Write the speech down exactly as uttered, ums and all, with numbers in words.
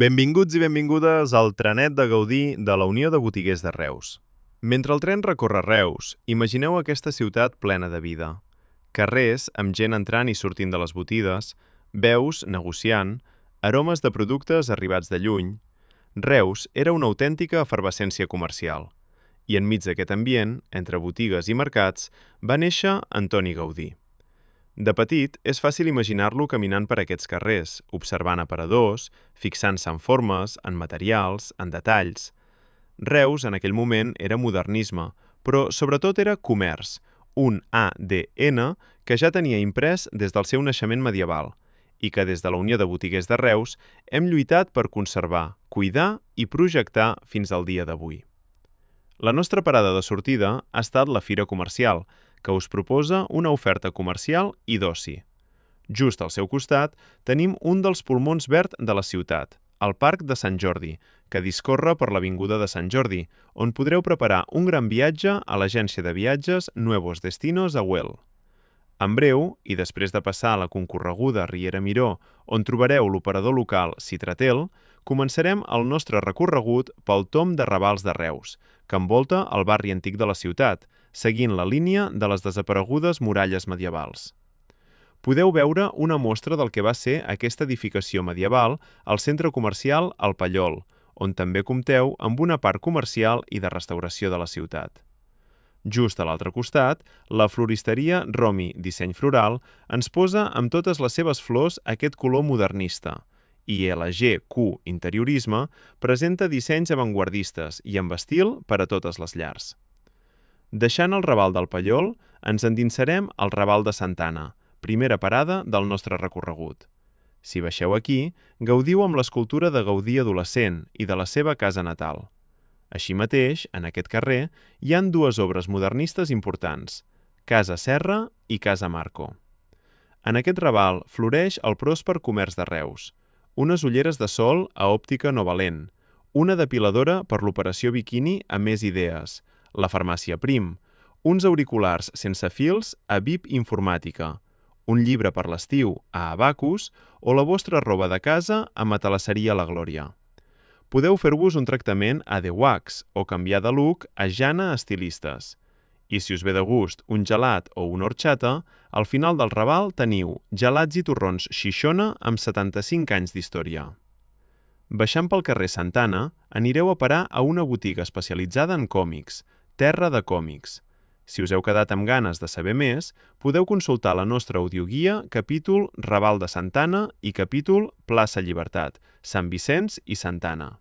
Benvinguts i benvingudes al trenet de Gaudí de la Unió de Botiguers de Reus. Mentre el tren recorre Reus, imagineu aquesta ciutat plena de vida. Carrers amb gent entrant i sortint de les botigues, veus negociant, aromes de productes arribats de lluny. Reus era una autèntica efervescència comercial. I enmig d'aquest ambient, entre botigues i mercats, va néixer Antoni Gaudí. De petit, és fàcil imaginar-lo caminant per aquests carrers, observant aparadors, fixant-se en formes, en materials, en detalls. Reus, en aquell moment, era modernisme, però sobretot era comerç, un A D N que ja tenia imprès des del seu naixement medieval i que des de la Unió de Botiguers de Reus hem lluitat per conservar, cuidar i projectar fins al dia d'avui. La nostra parada de sortida ha estat la Fira Comercial, que us proposa una oferta comercial i d'oci. Just al seu costat tenim un dels pulmons verd de la ciutat, el Parc de Sant Jordi, que discorre per l'Avinguda de Sant Jordi, on podreu preparar un gran viatge a l'agència de viatges Nuevos Destinos a Güell. En breu, i després de passar a la concorreguda Riera Miró, on trobareu l'operador local Citratel, començarem el nostre recorregut pel tomb de Ravals de Reus, que envolta el barri antic de la ciutat, seguint la línia de les desaparegudes muralles medievals. Podeu veure una mostra del que va ser aquesta edificació medieval al centre comercial El Pallol, on també compteu amb una part comercial i de restauració de la ciutat. Just a l'altre costat, la floristeria Romi Disseny Floral ens posa amb totes les seves flors aquest color modernista, i L G Q Interiorisme presenta dissenys avantguardistes i amb estil per a totes les llars. Deixant el Raval del Pallol, ens endinsarem al Raval de Santa Anna, primera parada del nostre recorregut. Si baixeu aquí, gaudiu amb l'escultura de Gaudí adolescent i de la seva casa natal. Així mateix, en aquest carrer, hi han dues obres modernistes importants, Casa Serra i Casa Marco. En aquest Raval floreix el pròsper comerç de Reus, unes ulleres de sol a òptica Novalent, una depiladora per l'operació biquini a Més Idees, la farmàcia Prim, uns auriculars sense fils a V I P Informàtica, un llibre per l'estiu a Abacus o la vostra roba de casa a Matalasseria La Glòria. Podeu fer-vos un tractament a The Wax o canviar de look a Jana Estilistes. I si us ve de gust un gelat o una horchata, al final del Raval teniu gelats i torrons Xixona amb setanta-cinc anys d'història. Baixant pel carrer Santa Anna, anireu a parar a una botiga especialitzada en còmics, Terra de Còmics. Si us heu quedat amb ganes de saber més, podeu consultar la nostra audioguia capítol Raval de Santa Anna i capítol Plaça Llibertat, Sant Vicenç i Santa Anna.